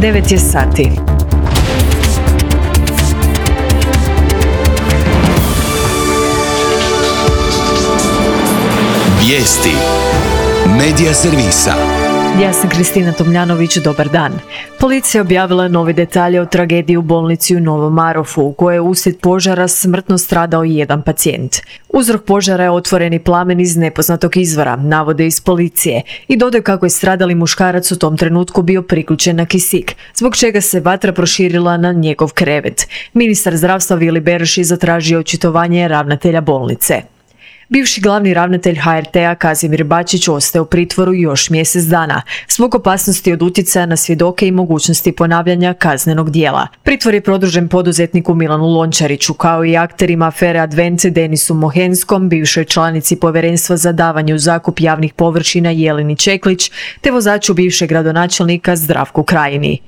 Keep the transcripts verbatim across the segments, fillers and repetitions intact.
devet je sati. Vijesti Medija servisa. Ja sam Kristina Tomljanović, dobar dan. Policija objavila novi detalje o tragediji u bolnici u Novom Marofu, u kojoj je uslijed požara smrtno stradao jedan pacijent. Uzrok požara je otvoreni plamen iz nepoznatog izvora, navode iz policije, i dodaju kako je stradali muškarac u tom trenutku bio priključen na kisik, zbog čega se vatra proširila na njegov krevet. Ministar zdravstva Vili Beroš je zatražio očitovanje ravnatelja bolnice. Bivši glavni ravnatelj H R T-a Kazimir Bačić ostaje u pritvoru još mjesec dana, zbog opasnosti od utjecaja na svjedoke i mogućnosti ponavljanja kaznenog djela. Pritvor je produžen poduzetniku Milanu Lončariću, kao i akterima afere Advent Denisu Mohenskom, bivšoj članici Povjerenstva za davanje u zakup javnih površina Jeleni Čeklić, te vozaču bivšeg gradonačelnika Zdravku Krajini.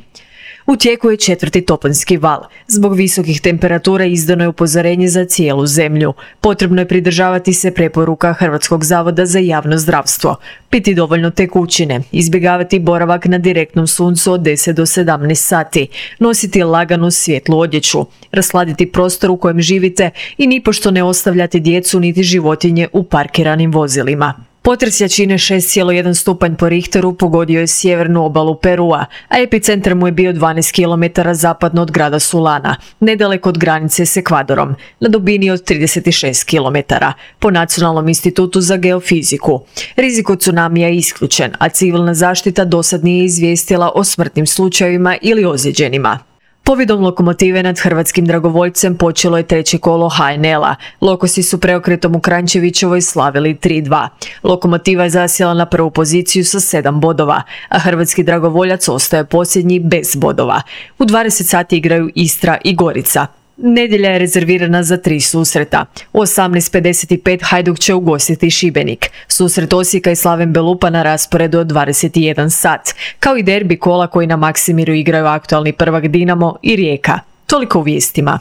U tijeku je četvrti toplinski val. Zbog visokih temperatura izdano je upozorenje za cijelu zemlju. Potrebno je pridržavati se preporuka Hrvatskog zavoda za javno zdravstvo. Piti dovoljno tekućine, izbjegavati boravak na direktnom suncu od deset do sedamnaest sati, nositi laganu svjetlu odjeću, rasladiti prostor u kojem živite i nipošto ne ostavljati djecu niti životinje u parkiranim vozilima. Potres jačine šest zarez jedan stupanj po Richteru pogodio je sjevernu obalu Perua, a epicentar mu je bio dvanaest kilometara zapadno od grada Sulana, nedaleko od granice s Ekvadorom, na dubini od trideset šest kilometara, po Nacionalnom institutu za geofiziku. Rizik od tsunamija je isključen, a civilna zaštita dosad nije izvijestila o smrtnim slučajevima ili ozlijeđenima. Pobjedom lokomotive nad hrvatskim dragovoljcem počelo je treće kolo H N L-a. Lokosi su preokretom u Kranjčevićevoj slavili tri dva. Lokomotiva je zasjela na prvu poziciju sa sedam bodova, a hrvatski dragovoljac ostaje posljednji bez bodova. U dvadeset sati igraju Istra i Gorica. Nedjelja je rezervirana za tri susreta. U osamnaest pedeset pet Hajduk će ugostiti Šibenik. Susret Osijeka i Slaven Belupa na rasporedu od dvadeset jedan sat, kao i derbi kola koji na Maksimiru igraju aktualni prvak Dinamo i Rijeka. Toliko u vijestima.